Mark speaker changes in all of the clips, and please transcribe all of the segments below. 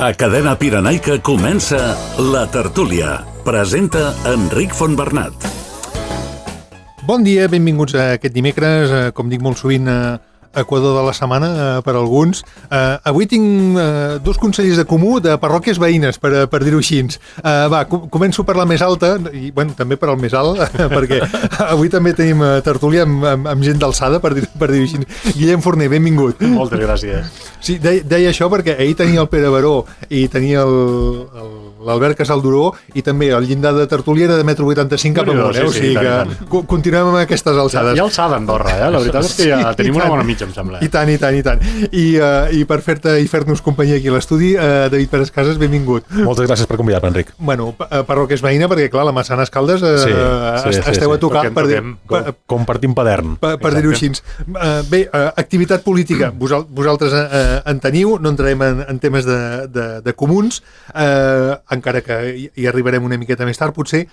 Speaker 1: A Cadena Pirenaica comença La Tertúlia. Presenta Enric Fontbernat.
Speaker 2: Bon dia, benvinguts a aquest dimecres, com dic molt sovint, Equador de la setmana per alguns. Avui tinc dos consellers de comú de parròquies veïnes, per dir-ho així. Començo per la més alta, i bueno, també per al més alt, perquè avui també tenim tertúlia amb gent d'alçada, per dir-ho així. Guillem Forner, benvingut.
Speaker 3: Moltes gràcies.
Speaker 2: Sí, deia això perquè ahir tenia el Pere Baró i tenia l'Albert Casalduró, i també el llindar de tertúlia era de 1,85 m cap amunt, o sigui que continuem amb aquestes alçades.
Speaker 3: Hi ha alçada a Andorra, la veritat és que ja tenim una bona mitja, em sembla.
Speaker 2: I tant. I per fer-nos companyia aquí a l'estudi, David Pérez Casas, benvingut.
Speaker 4: Moltes gràcies per convidar-me, Enric.
Speaker 2: Bueno, parròquia és veïna, perquè clar, la Massana Escaldes esteu a tocar,
Speaker 4: compartim padern.
Speaker 2: Per dir-ho així. Bé, activitat política, vosaltres en teniu, no entrarem en temes de comuns, encara que hi arribarem una miqueta més tard, potser,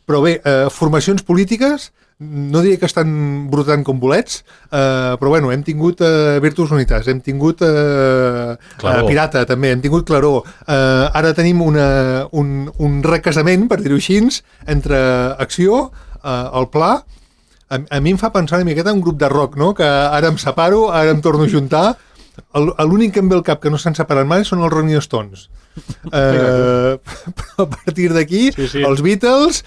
Speaker 2: però bé, formacions polítiques, no diria que estan brotant com bolets, però bueno, hem tingut Virtus Unitas, hem tingut Pirata també, hem tingut Claror, ara tenim un recasament, per dir-ho així, entre Acció, el Pla. A mi em fa pensar una miqueta en un grup de rock, no? Que ara em separo, ara em torno a juntar. L'únic que em ve al cap que no s'han separat mai són els Rolling Stones. Però a partir d'aquí, els Beatles,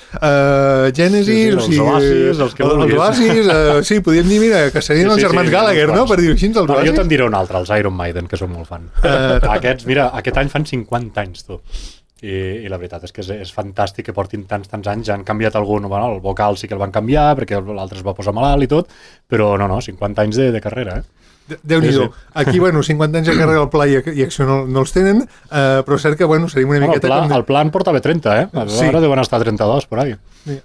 Speaker 2: Genesis,
Speaker 3: els Oasis, els que vulguis.
Speaker 2: Sí, podríem dir, mira, que serien els germans Gallagher, no? Per dir-ho així, els Oasis.
Speaker 3: Jo te'n diré un altre, els Iron Maiden, que soc molt fan. Aquests, mira, aquest any fan 50 anys, tu. I la veritat és que és fantàstic que portin tants anys. Ja han canviat algun, el vocal sí que el van canviar perquè l'altre es va posar malalt i tot, però no, 50 anys de carrera,
Speaker 2: Déu-n'hi-do. Aquí, 50 anys de carrera al Pla i Acció no els tenen, però és cert que, seria una miqueta...
Speaker 3: El Pla en portava 30, Ara deuen estar 32, por ahí.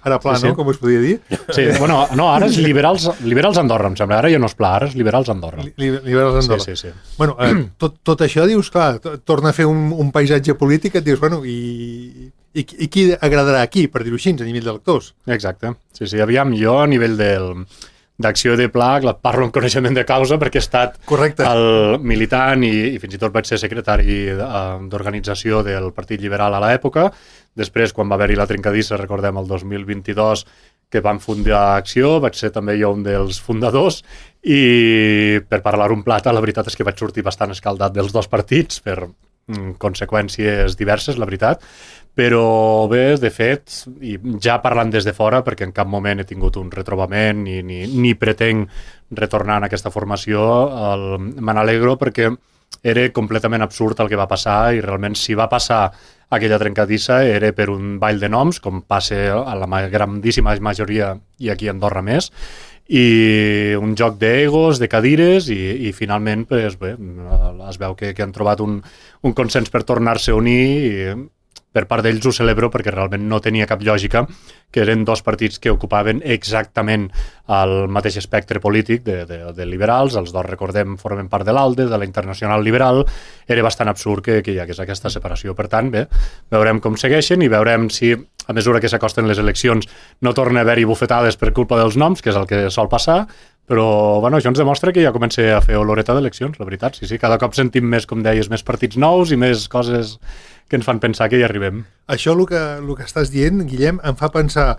Speaker 2: Ara Pla, no? Com us podia dir?
Speaker 3: Sí, ara és Liberals Andorra, em sembla. Ara ja no és Pla, ara és Liberals Andorra.
Speaker 2: Liberals Andorra.
Speaker 3: Sí.
Speaker 2: Bueno, tot això, dius, clar, torna a fer un paisatge polític, et dius, i qui agradarà aquí, per dir-ho així, a nivell d'electors?
Speaker 3: Exacte. Sí, aviam, jo a nivell d'Acció de Pla, parlo en coneixement de causa perquè he estat el militant i fins i tot vaig ser secretari d'organització del Partit Liberal a l'època. Després, quan va haver-hi la trencadissa, recordem el 2022, que van fundar Acció, vaig ser també jo un dels fundadors, i per parlar un plat, la veritat és que vaig sortir bastant escaldat dels dos partits per conseqüències diverses, la veritat, però bé, de fet, i ja parlant des de fora, perquè en cap moment he tingut un retrobament ni pretenc retornar en aquesta formació, me n'alegro perquè era completament absurd el que va passar, i realment si va passar aquella trencadissa era per un ball de noms, com passa a la grandíssima majoria, i aquí a Andorra més, i un joc d'egos, de cadires, i finalment es veu que han trobat un consens per tornar-se a unir, i per part d'ells ho celebro perquè realment no tenia cap lògica, que eren dos partits que ocupaven exactament el mateix espectre polític de liberals, els dos, recordem, formen part de l'ALDE, de la Internacional Liberal. Era bastant absurd que hi hagués aquesta separació. Per tant, bé, veurem com segueixen i veurem si, a mesura que s'acosten les eleccions, no torna a haver-hi bufetades per culpa dels noms, que és el que sol passar, però això ens demostra que ja comença a fer oloreta d'eleccions, la veritat. Sí, cada cop sentim més, com deies, més partits nous i més coses que ens fan pensar que hi arribem.
Speaker 2: Això, el que estàs dient, Guillem, em fa pensar,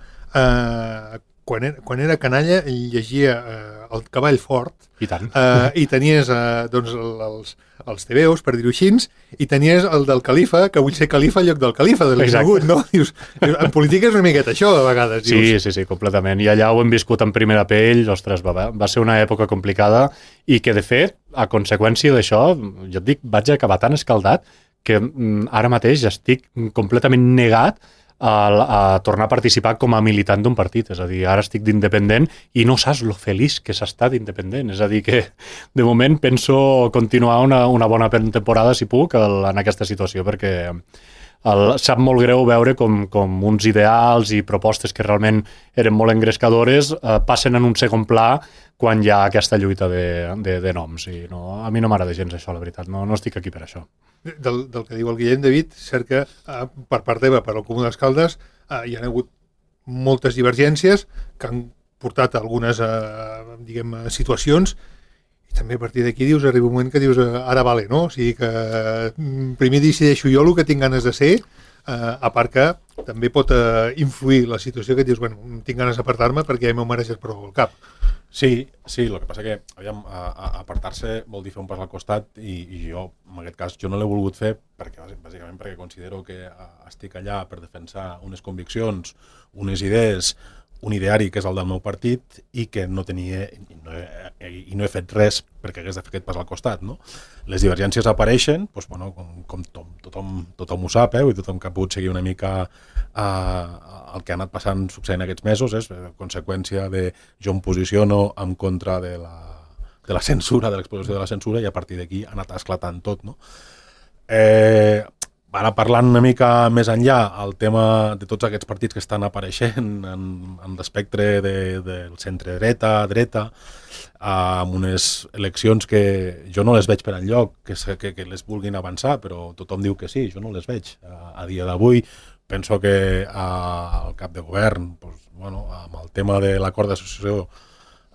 Speaker 2: quan era canalla llegia El cavall fort,
Speaker 3: i tant.
Speaker 2: I tenies els tebeos, per dir-ho així, i tenies el del califa, que vull ser califa en lloc del califa, de l'Isnagut, no? Dius, en política és una miqueta això, a vegades. Dius.
Speaker 3: Sí, completament. I allà ho hem viscut en primera pell, ostres, va ser una època complicada, i que, de fet, a conseqüència d'això, jo et dic, vaig acabar tan escaldat que ara mateix estic completament negat a tornar a participar com a militant d'un partit. És a dir, ara estic d'independent i no saps lo feliç que s'està d'independent. És a dir, que de moment penso continuar una bona temporada, si puc, en aquesta situació, perquè sap molt greu veure com uns ideals i propostes que realment eren molt engrescadores passen en un segon pla quan hi ha aquesta lluita de noms. I no, a mi no m'agrada gens això, la veritat. No estic aquí per això.
Speaker 2: Del que diu el Guillem, David, cert que per part teva, per al Comú d'Escaldes, hi ha hagut moltes divergències que han portat a algunes situacions, I també a partir d'aquí dius, arriba un moment que dius ara vale, no? O sigui que primer decideixo jo el que tinc ganes de ser, a part que també pot influir la situació que dius, bueno, tinc ganes d'apartar-me perquè ja m'ho mereixes per al cap.
Speaker 4: Sí, el que passa que apartar-se vol dir fer un pas al costat i jo, en aquest cas, jo no l'he volgut fer bàsicament perquè considero que estic allà per defensar unes conviccions, unes idees, un ideari que és el del meu partit i que no tenia i no he fet res perquè hagués de fer aquest pas al costat, no? Les divergències apareixen, doncs, bueno, com tothom ho sap, i tothom que ha pogut seguir una mica el que ha anat succeint aquests mesos és conseqüència de jo em posiciono en contra de la censura, de l'exposició de la censura, i a partir d'aquí ha anat esclatant tot, no? Ara parlant una mica més enllà, el tema de tots aquests partits que estan apareixent en l'espectre del centre-dreta, amb unes eleccions que jo no les veig per enlloc, que les vulguin avançar, però tothom diu que sí, jo no les veig. A dia d'avui penso que el cap de govern, amb el tema de l'acord d'associació,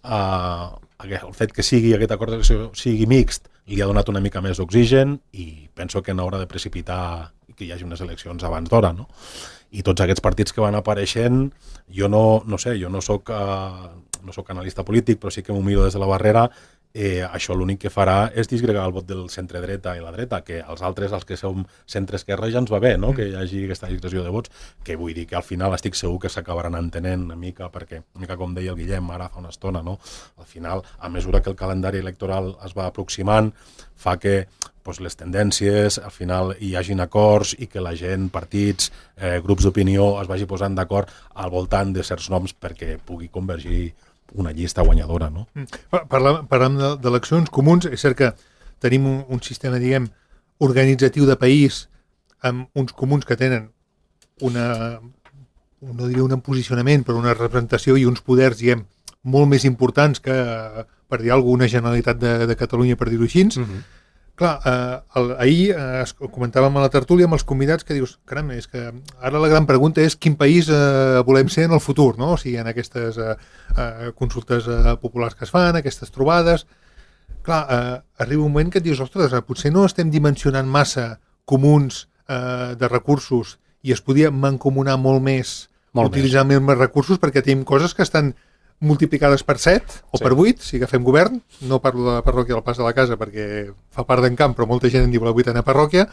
Speaker 4: el fet que aquest acord d'associació sigui mixt, li ha donat una mica més d'oxigen i penso que n'haurà de precipitar que hi hagi unes eleccions abans d'hora, no? I tots aquests partits que van apareixent, jo no sé, jo no soc analista polític, però sí que m'ho miro des de la barrera. Això l'únic que farà és disgregar el vot del centre-dreta i la dreta, que els altres, els que som centre-esquerra, ja ens va bé, no? Que hi hagi aquesta disgregació de vots, que vull dir que al final estic segur que s'acabaran entenent una mica, perquè, una mica com deia el Guillem ara fa una estona, no? Al final, a mesura que el calendari electoral es va aproximant, fa que les tendències, al final hi hagin acords i que la gent, partits, grups d'opinió es vagi posant d'acord al voltant de certs noms perquè pugui convergir una llista guanyadora, no?
Speaker 2: Parlant d'eleccions comuns, és cert que tenim un sistema, diguem, organitzatiu de país amb uns comuns que tenen no diria un posicionament, però una representació i uns poders, diguem, molt més importants que, per dir alguna Generalitat de Catalunya, per dir-ho així. Clar, ahir comentàvem a la tertúlia amb els convidats que dius, caram, és que ara la gran pregunta és quin país volem ser en el futur, no? O sigui, en aquestes consultes populars que es fan, aquestes trobades. Clar, arriba un moment que et dius, ostres, potser no estem dimensionant massa comuns de recursos i es podia mancomunar molt més, utilitzar més recursos, perquè tenim coses que estan multiplicades per 7 o per 8, si agafem govern. No parlo de la parròquia del Pas de la Casa perquè fa part d'en Camp, però molta gent en diu la 8a parròquia,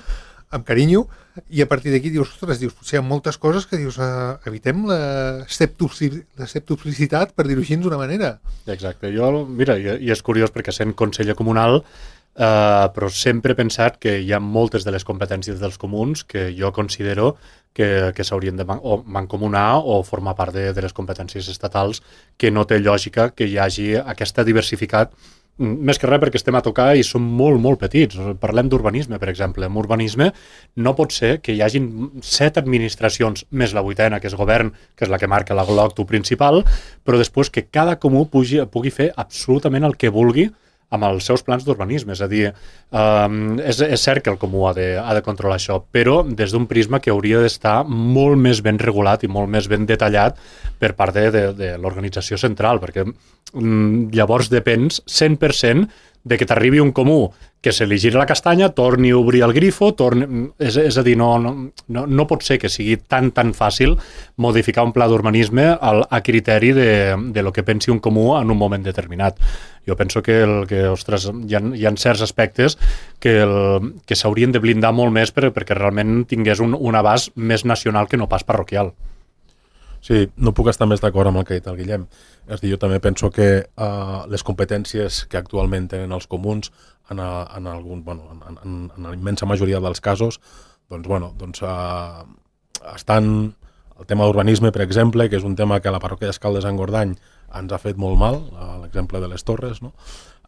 Speaker 2: amb carinyo, i a partir d'aquí dius, ostres, potser hi ha moltes coses que dius, evitem la septuplicitat, per dir-ho així d'una manera.
Speaker 3: Exacte, mira, i és curiós perquè sent conseller comunal, però sempre he pensat que hi ha moltes de les competències dels comuns que jo considero que s'haurien de mancomunar o formar part de les competències estatals, que no té lògica que hi hagi aquesta diversificat, més que res perquè estem a tocar i som molt, molt petits. Parlem d'urbanisme, per exemple. En urbanisme no pot ser que hi hagin 7 administracions més la 8a, que és govern, que és la que marca l'octu principal, però després que cada comú pugui fer absolutament el que vulgui amb els seus plans d'urbanisme. És a dir, és cert que el comú ha de controlar això, però des d'un prisma que hauria d'estar molt més ben regulat i molt més ben detallat per part de l'organització central, perquè llavors depens 100% de que t'arribi un comú que se li giri la castanya, torni a obrir el grifo, és a dir, no pot ser que sigui tan fàcil modificar un pla d'urbanisme a criteri de lo que pensi un comú en un moment determinat. Jo penso que ostres, hi ha certs aspectes que s'haurien de blindar molt més perquè realment tingués un abast més nacional que no pas parroquial.
Speaker 4: Sí, no puc estar més d'acord amb el que ha dit el Guillem. És a dir, jo també penso que les competències que actualment tenen els comuns en la immensa majoria dels casos estan el tema d'urbanisme, per exemple, que és un tema que a la parròquia d'Escaldes en Gordany ens ha fet molt mal, l'exemple de les torres, no?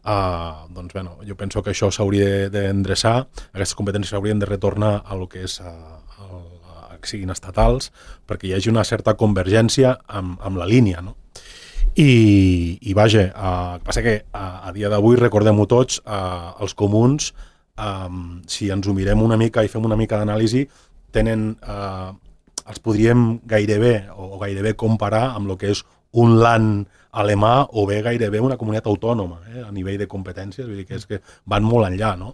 Speaker 4: Jo penso que això s'hauria d'endreçar, aquestes competències s'haurien de retornar a lo que és que siguin estatals, perquè hi hagi una certa convergència amb la línia, no? I vaja, el que passa que a dia d'avui, recordem-ho tots, els comuns, si ens ho mirem una mica i fem una mica d'anàlisi, els podríem gairebé comparar amb el que és un land alemà o bé gairebé una comunitat autònoma a nivell de competències, vull dir que és que van molt enllà, no?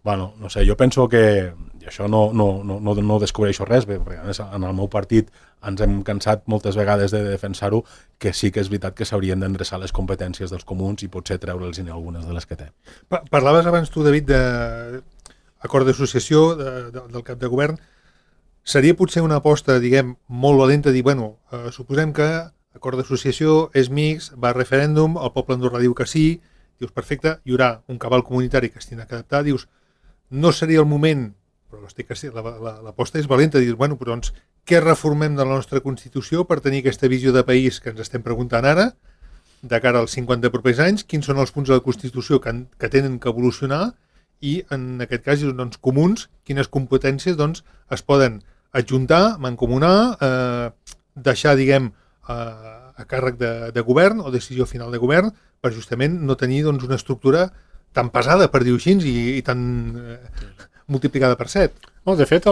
Speaker 4: Bueno, no sé, jo penso que, i això no descobreixo res, perquè en el meu partit ens hem cansat moltes vegades de defensar-ho, que sí que és veritat que s'haurien d'endreçar les competències dels comuns i potser treure'ls algunes de les que té.
Speaker 2: Parlaves abans tu, David, d'acord d'associació del cap de govern. Seria potser una aposta, diguem, molt valenta, dir, bueno, suposem que acord d'associació és mixt, va a referèndum, el poble andorrà diu que sí, dius, perfecte, hi haurà un cabal comunitari que es tindrà que adaptar, dius, no seria el moment, però l'aposta és valenta, dius, bueno, però doncs, què reformem de la nostra Constitució per tenir aquesta visió de país que ens estem preguntant ara, de cara als 50 propers anys, quins són els punts de la Constitució que tenen que evolucionar i, en aquest cas, doncs, comuns, quines competències doncs, es poden adjuntar, mancomunar, deixar, diguem, a càrrec de govern o decisió final de govern per justament no tenir doncs, una estructura tan pesada, per dir-ho així, i tan multiplicada per 7.
Speaker 3: No, de fet,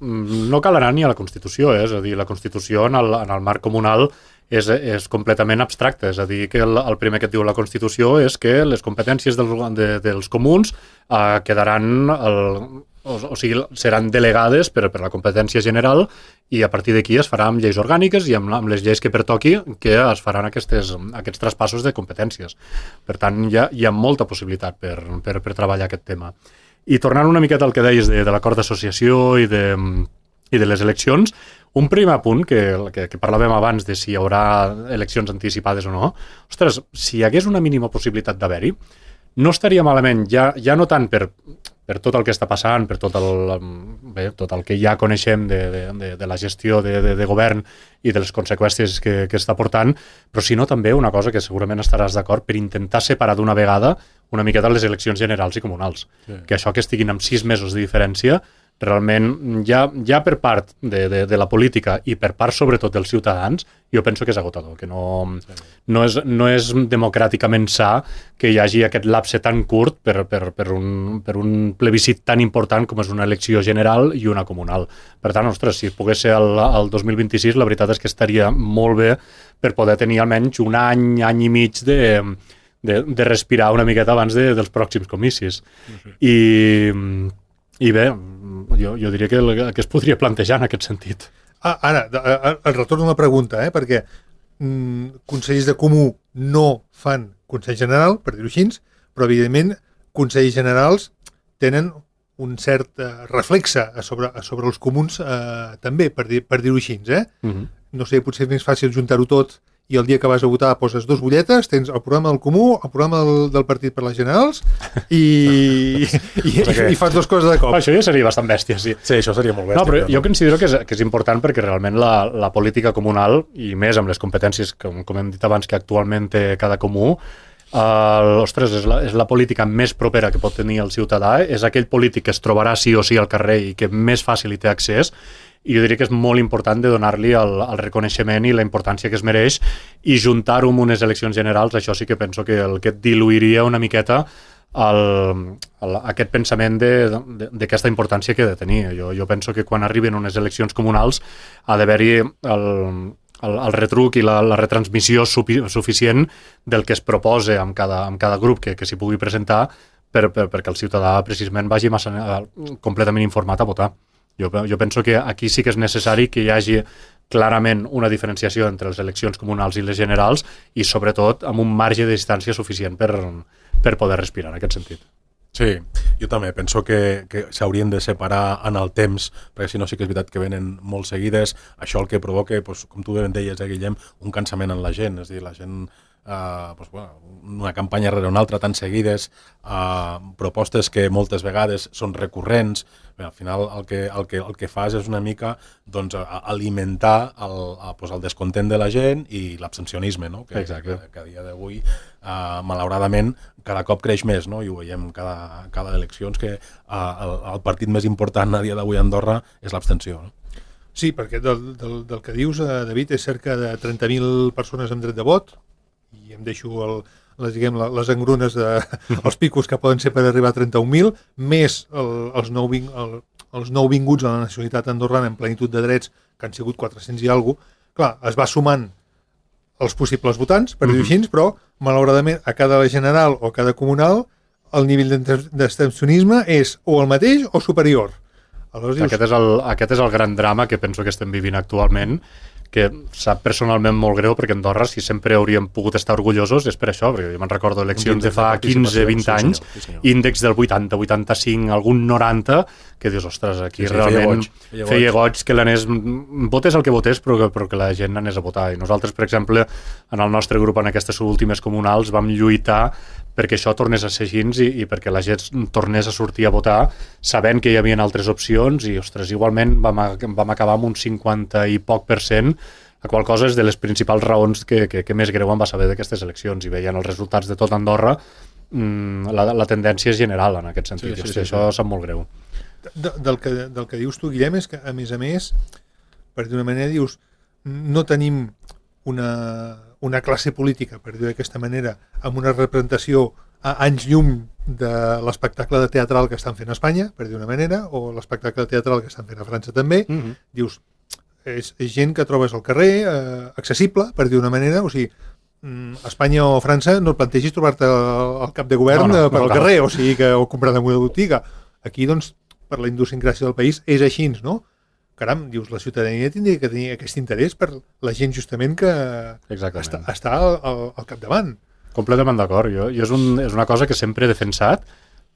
Speaker 3: no cal anar ni a la Constitució, és a dir, la Constitució en el marc comunal és completament abstracte, és a dir, que el primer que et diu la Constitució és que les competències dels comuns quedaran, o sigui, seran delegades per la competència general i a partir d'aquí es farà amb lleis orgàniques i amb les lleis que pertoqui que es faran aquests traspassos de competències. Per tant, hi ha molta possibilitat per treballar aquest tema. I tornant una miqueta al que deies de l'acord d'associació i de les eleccions, un primer punt que parlàvem abans de si hi haurà eleccions anticipades o no, ostres, si hi hagués una mínima possibilitat d'haver-hi, no estaria malament, ja no tant per tot el que està passant, per tot el que ja coneixem de la gestió de govern i de les conseqüències que està portant, però sinó també una cosa que segurament estaràs d'acord, per intentar separar d'una vegada una miqueta les eleccions generals i comunals. Sí. Que això que estiguin amb 6 mesos de diferència realment ja per part de la política i per part sobretot dels ciutadans, jo penso que és agotador, que no és democràticament sa que hi hagi aquest lapse tan curt per un plebiscit tan important com és una elecció general i una comunal. Per tant, ostres, si pogués ser el 2026, la veritat és que estaria molt bé per poder tenir almenys un any i mig de respirar una miqueta abans dels pròxims comicis. I bé, jo diria que es podria plantejar en aquest sentit.
Speaker 2: Ara, el retorn d'una pregunta, perquè consells de comú no fan Consell General, per dir-ho així, però evidentment consells generals tenen un cert reflexe sobre els comuns també, per dir-ho així. No sé, potser és més fàcil juntar-ho tot i el dia que vas a votar poses 2 butlletes, tens el programa del comú, el programa del partit per les generals i fas 2 coses de cop.
Speaker 3: Això ja seria bastant bèstia, sí.
Speaker 4: Sí, això seria molt bèstia.
Speaker 3: No, però jo considero que és important perquè realment la política comunal, i més amb les competències, com hem dit abans, que actualment té cada comú, ostres, és la política més propera que pot tenir el ciutadà, és aquell polític que es trobarà sí o sí al carrer i que més fàcil hi té accés, i jo diria que és molt important de donar-li el reconeixement i la importància que es mereix, i juntar-ho amb unes eleccions generals, això sí que penso que el que diluiria una miqueta aquest pensament d'aquesta importància que ha de tenir. Jo penso que quan arriben unes eleccions comunals ha d'haver-hi el retruc i la retransmissió suficient del que es proposa amb cada grup que s'hi pugui presentar perquè el ciutadà precisament vagi completament informat a votar. Jo penso que aquí sí que és necessari que hi hagi clarament una diferenciació entre les eleccions comunals i les generals i sobretot amb un marge de distància suficient per poder respirar en aquest sentit.
Speaker 4: Sí, jo també penso que s'haurien de separar en el temps, perquè si no sí que és veritat que venen molt seguides. Això el que provoca, com tu ben deies, Guillem, un cansament en la gent, és a dir, la gent una campanya rere una altra tan seguides, propostes que moltes vegades són recurrents. Bé, al final el que fas és una mica alimentar el descontent de la gent i l'abstencionisme, no? que a dia d'avui malauradament cada cop creix més, no? I ho veiem cada eleccions que el partit més important a dia d'avui a Andorra és l'abstenció, no?
Speaker 2: Sí, perquè del que dius, David, és cerca de 30.000 persones amb dret de vot, i em deixo les engrunes els picos que poden ser per arribar a 31.000, més els nouvinguts a la nacionalitat andorrana en plenitud de drets, que han sigut 400 i alguna cosa. Clar, es va sumant els possibles votants, per dir-ho així, però malauradament a cada general o a cada comunal el nivell d'abstencionisme és o el mateix o superior.
Speaker 3: Aleshores, aquest és el gran drama que penso que estem vivint actualment, que sap personalment molt greu, perquè Andorra, si sempre hauríem pogut estar orgullosos, és per això, perquè jo me'n recordo eleccions de fa 15-20 anys, índex del 80, 85, algun 90, que dius, ostres, aquí realment feia goig que l'anés, votés el que votés, però que la gent anés a votar. I nosaltres, per exemple, en el nostre grup, en aquestes últimes comunals, vam lluitar perquè això tornés a ser així i perquè la gent tornés a sortir a votar sabent que hi havia altres opcions i, ostres, igualment vam acabar amb un 50 i poc % la qual cosa és de les principals raons que més greu em va saber d'aquestes eleccions i veient els resultats de tot Andorra la tendència és general en aquest sentit. Sí, això sap molt greu.
Speaker 2: Del que dius tu, Guillem, és que a més, per dir una manera, dius, no tenim una classe política, per dir d'aquesta manera, amb una representació a anys llum de l'espectacle de teatral que estan fent a Espanya, per dir una manera, o l'espectacle teatral que estan fent a França també. Dius, és gent que trobes al carrer, accessible, per dir una manera, o sigui, a Espanya o a França no et plantegis trobar-te el cap de govern per al carrer, o sigui, o comprar en una botiga. Aquí, doncs, per la idiosincràsia del país, és així, no? Caram, dius, la ciutadania tindria que tenir aquest interès per la gent justament que està al capdavant.
Speaker 3: Completament d'acord. Jo és una cosa que sempre he defensat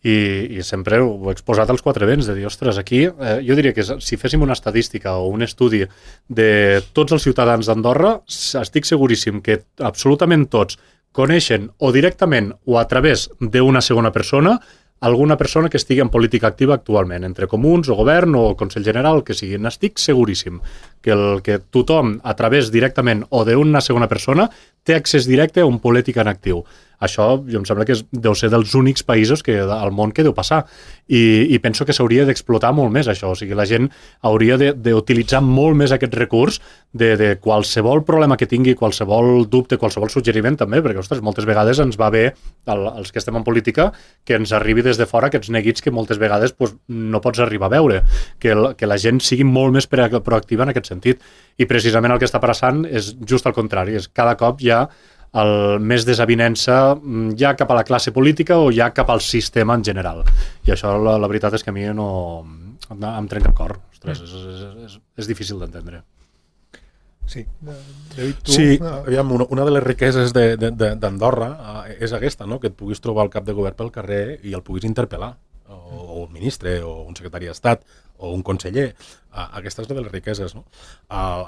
Speaker 3: i sempre ho he exposat als quatre vents, de dir, ostres, aquí jo diria que si féssim una estadística o un estudi de tots els ciutadans d'Andorra, estic seguríssim que absolutament tots coneixen o directament o a través d'una segona persona alguna persona que estigui en política activa actualment, entre comuns o govern o Consell General, que sigui. N'estic seguríssim que tothom, a través directament o d'una segona persona, té accés directe a un polític en actiu. Això, jo em sembla que deu ser dels únics països al món que deu passar. I penso que s'hauria d'explotar molt més això. O sigui, la gent hauria d'utilitzar molt més aquest recurs de qualsevol problema que tingui, qualsevol dubte, qualsevol suggeriment també, perquè, ostres, moltes vegades ens va bé, els que estem en política, que ens arribi des de fora aquests neguits que moltes vegades no pots arribar a veure. Que la gent sigui molt més proactiva en aquest sentit. I precisament el que està passant és just al contrari. És cada cop hi ha més desavinença ja cap a la classe política o ja cap al sistema en general. I això la veritat és que a mi no em trenca el cor. Ostres, és difícil d'entendre.
Speaker 2: Sí, David, tu...
Speaker 4: Sí, aviam, una de les riqueses d'Andorra és aquesta, no? Que et puguis trobar el cap de govern pel carrer i el puguis interpel·lar, o un ministre, o un secretari d'Estat, o un conseller. Aquesta és una de les riqueses, no?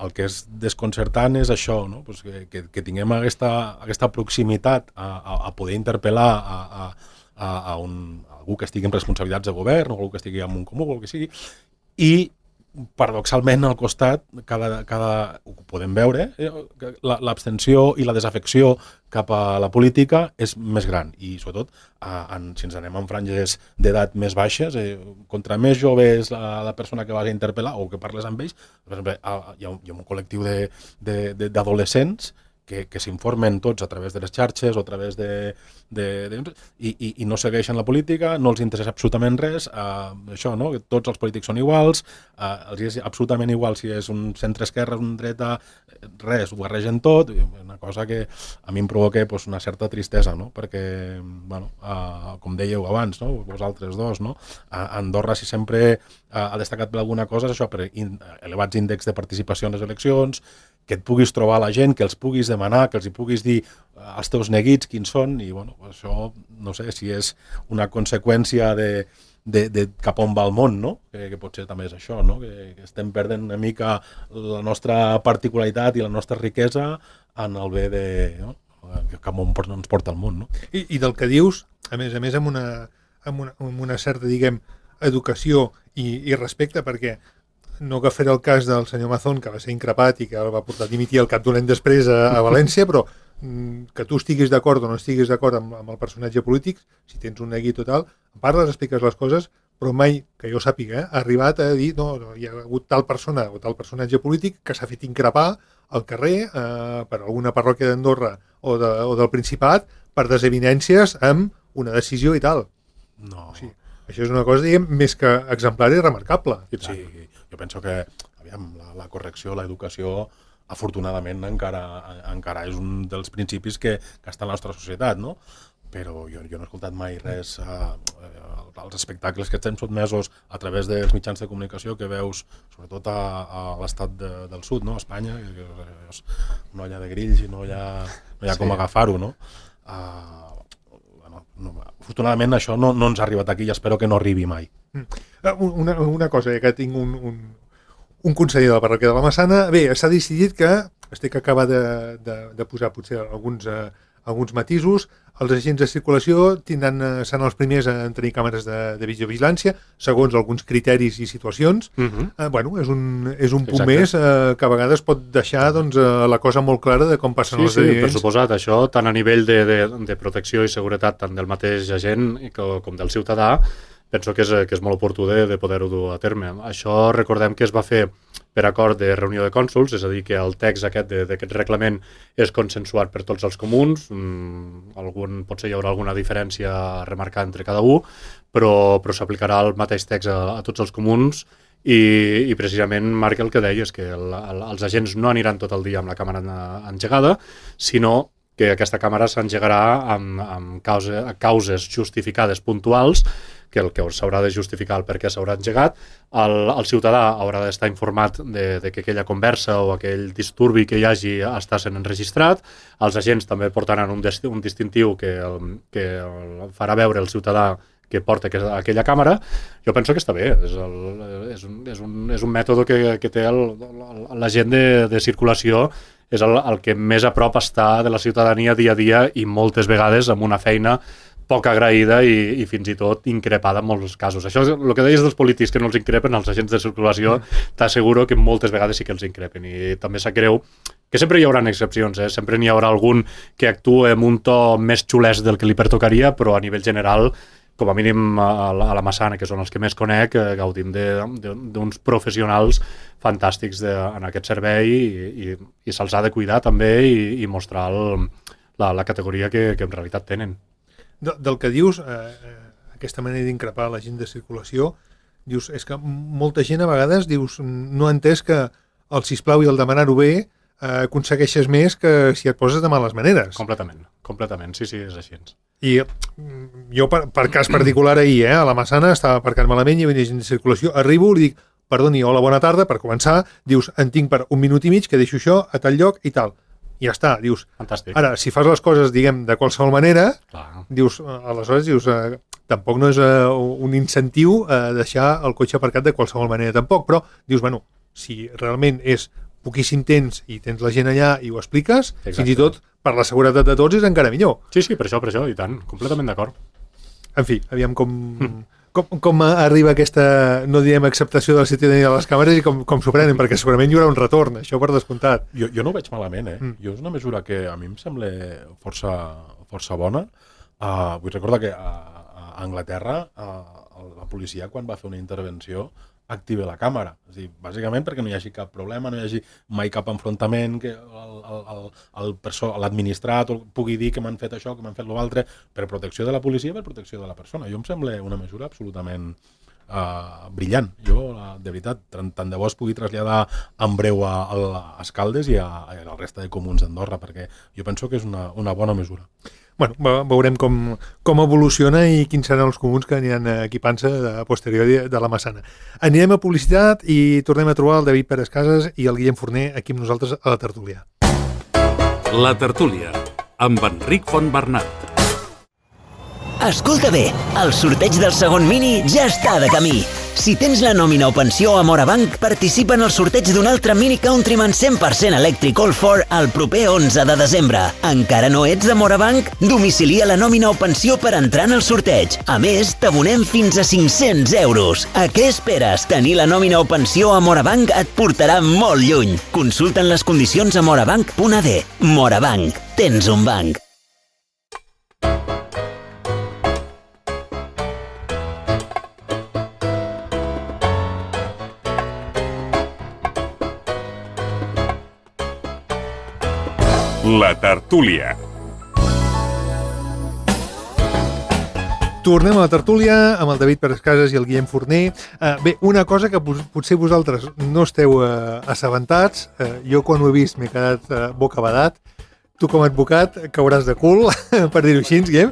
Speaker 4: El que és desconcertant és això, no? Pues que tinguem aquesta proximitat a poder interpel·lar a algú que estigui en responsabilitats de govern o algú que estigui en un comú o el que sigui, i paradoxalment al costat ho podem veure, l'abstenció i la desafecció cap a la política és més gran i sobretot si ens anem en franges d'edat més baixes, contra més jove és la persona que vas a interpel·lar o que parles amb ells. Per exemple, hi ha un col·lectiu d'adolescents que s'informen tots a través de les xarxes o a través i no segueixen la política, no els interessa absolutament res, això, no? Que tots els polítics són iguals, els és absolutament igual si és un centre-esquerra, un dreta, res, ho barregen tot, una cosa que a mi em provoca una certa tristesa, no? Perquè, bueno, com dèieu abans, no? Vosaltres dos, no? Andorra, si sempre ha destacat per alguna cosa, és això, per elevats índexs de participació en les eleccions, que et puguis trobar la gent, que els puguis demanar, que els hi puguis dir els teus neguits quins són, i bueno, això no sé si és una conseqüència de cap on va el món, no? Que potser també és això, no? Que estem perdent una mica la nostra particularitat i la nostra riquesa en el bé de... No? Cap on ens porta el món, no?
Speaker 2: I del que dius, a més amb una certa, diguem, educació i respecte, perquè no agafaré el cas del senyor Mazón, que va ser increpat i que el va portar a dimitir al cap d'un any després a València, però que tu estiguis d'acord o no estiguis d'acord amb el personatge polític, si tens un neguit o tal, parles, expliques les coses, però mai, que jo sàpiga, ha arribat a dir no, hi ha hagut tal persona o tal personatge polític que s'ha fet increpar al carrer per alguna parròquia d'Andorra o del Principat per desavinències amb una decisió i tal.
Speaker 4: No.
Speaker 2: O sigui, això és una cosa, diguem, més que exemplar i remarcable.
Speaker 4: Sí, jo penso que aviam, la correcció, l'educació afortunadament encara és un dels principis que està en la nostra societat, no? Però jo no he escoltat mai res als espectacles que estem sotmesos a través dels mitjans de comunicació que veus, sobretot a l'estat del sud, no? A Espanya, que és una olla de grills i no hi ha com agafar-ho, no? Afortunadament això no ens ha arribat aquí i espero que no arribi mai.
Speaker 2: Una cosa, que tinc un conseller de la parròquia de la Massana, bé, s'ha decidit que estic acaba de posar potser alguns matisos. Els agents de circulació seran els primers a tenir càmeres de videovigilància, segons alguns criteris i situacions. Bueno, és un punt més que a vegades pot deixar la cosa molt clara de com passen els esdeveniments.
Speaker 3: Sí, per suposat, això tant a nivell de protecció i seguretat tant del mateix agent com del ciutadà, penso que és molt oportú de poder-ho dur a terme. Això recordem que es va fer per acord de reunió de cònsols, és a dir, que el text d'aquest reglament és consensuat per tots els comuns, potser hi haurà alguna diferència a remarcar entre cada un, però s'aplicarà el mateix text a tots els comuns i precisament marca el que deies, que els agents no aniran tot el dia amb la càmera engegada, sinó que aquesta càmera s'engegarà amb causes justificades puntuals, que el que s'haurà de justificar el per què s'haurà engegat, el ciutadà haurà d'estar informat de que aquella conversa o aquell disturbi que hi hagi està sent enregistrat, els agents també portaran un distintiu que farà veure el ciutadà que porta aquella càmera. Jo penso que està bé, és un mètode que té l'agent de circulació, és el que més a prop està de la ciutadania dia a dia i moltes vegades amb una feina poc agraïda i fins i tot increpada en molts casos. Això és el que deies dels polítics que no els increpen, els agents de circulació, t'asseguro que moltes vegades sí que els increpen i també sap greu que sempre hi haurà excepcions, sempre n'hi haurà algun que actua amb un to més xulès del que li pertocaria, però a nivell general, com a mínim a la Massana, que són els que més conec, gaudim d'uns professionals fantàstics en aquest servei i se'ls ha de cuidar també i mostrar la categoria que en realitat tenen.
Speaker 2: Del que dius, aquesta manera d'increpar la gent de circulació, dius, és que molta gent a vegades no ha entès que el sisplau i el demanar-ho bé aconsegueixes més que si et poses de males maneres.
Speaker 3: Completament, sí, és així.
Speaker 2: I jo, per cas particular ahir, a la Massana, estava aparcat malament i venia gent de circulació, arribo, li dic, perdoni, hola, bona tarda, per començar, dius, en tinc per 1 minut i mig, que deixo això a tal lloc i tal. I ja està, dius.
Speaker 3: Fantàstic.
Speaker 2: Ara, si fas les coses, diguem, de qualsevol manera,
Speaker 3: clar,
Speaker 2: dius, aleshores, tampoc no és un incentiu deixar el cotxe aparcat de qualsevol manera tampoc, però dius, bueno, si realment és poquíssim temps i tens la gent allà i ho expliques, fins i tot per la seguretat de tots és encara millor.
Speaker 3: Sí, per això, i tant, completament d'acord.
Speaker 2: En fi, aviam com arriba aquesta, no direm acceptació de la ciutadania de les càmeres i com s'ho prenen, perquè segurament hi haurà un retorn, això per descomptat.
Speaker 4: Jo no ho veig malament, Jo és una mesura que a mi em sembla força bona. Vull recordar que a Anglaterra la policia, quan va fer una intervenció, activa la càmera. És a dir, bàsicament perquè no hi hagi cap problema, no hi hagi mai cap enfrontament, que l'administrat pugui dir que m'han fet això, que m'han fet l'altre, per protecció de la policia, per protecció de la persona. Jo em sembla una mesura absolutament brillant. Jo, de veritat, tant de bo es pugui traslladar en breu a Escaldes i a la resta de comuns d'Andorra, perquè jo penso que és una bona mesura.
Speaker 2: Bueno, veurem com evoluciona i quins seran els comuns que aniran equipant-se a posteriori de la Massana. Anirem a publicitat i tornem a trobar el David Pérez Casas i el Guillem Forner aquí amb nosaltres a la tertúlia.
Speaker 1: La tertúlia, amb Enric Fontbernat.
Speaker 5: Escolta bé, el sorteig del segon mini ja està de camí. Si tens la nòmina o pensió a Morabanc, participa en el sorteig d'un altre Mini Countryman 100% elèctric All4 el proper 11 de desembre. Encara no ets de Morabanc? Domicilia la nòmina o pensió per entrar en el sorteig. A més, t'abonem fins a 500 euros. A què esperes? Tenir la nòmina o pensió a Morabanc et portarà molt lluny. Consulta'n les condicions a morabanc.ad. Morabanc. Tens un banc.
Speaker 1: La tertúlia.
Speaker 2: Tornem a la tertúlia amb el David Pérez Casas i el Guillem Forner. Bé, una cosa que potser vosaltres no esteu assabentats, jo quan ho he vist m'he quedat bocabadat. Tu com a advocat cauràs de cul, per dir-ho així, Guillem.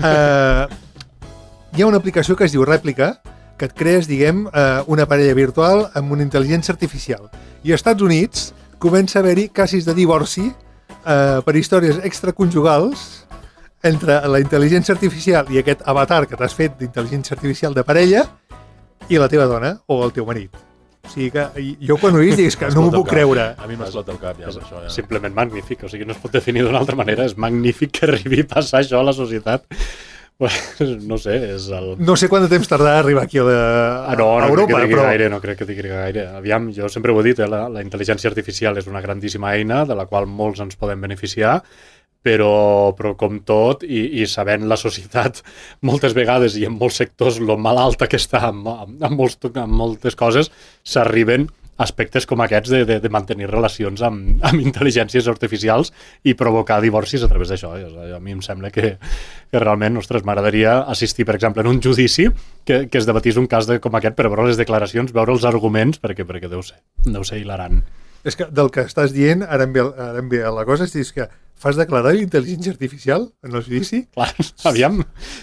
Speaker 2: Hi ha una aplicació que es diu Rèplica, que et crees, diguem, una parella virtual amb una intel·ligència artificial. I als Estats Units comença a haver-hi casos de divorci per històries extraconjugals entre la intel·ligència artificial i aquest avatar que t'has fet d'intel·ligència artificial de parella i la teva dona o el teu marit. O sigui que jo quan ho he vist dic que no m'ho puc creure.
Speaker 4: A mi m'explota el cap ja. Això, ja.
Speaker 3: Simplement magnífic, o sigui, no es pot definir d'una altra manera. És magnífic que arribi a passar això a la societat. No sé, és el...
Speaker 2: No sé quant de temps tardarà a arribar aquí a Europa,
Speaker 3: però... No crec que digui gaire. Aviam, jo sempre ho he dit, la intel·ligència artificial és una grandíssima eina de la qual molts ens podem beneficiar, però com tot, i sabent la societat moltes vegades i en molts sectors lo malalta que està en moltes coses, s'arriben aspectes com aquests de mantenir relacions amb intel·ligències artificials i provocar divorcis a través d'això. A mi em sembla que realment, ostres, m'agradaria assistir, per exemple, en un judici que es debatís un cas com aquest per veure les declaracions, veure els arguments, perquè deu ser hilarant.
Speaker 2: És que del que estàs dient, ara em ve la cosa, és que fas declarar intel·ligència artificial en el judici?
Speaker 3: Clar, aviam,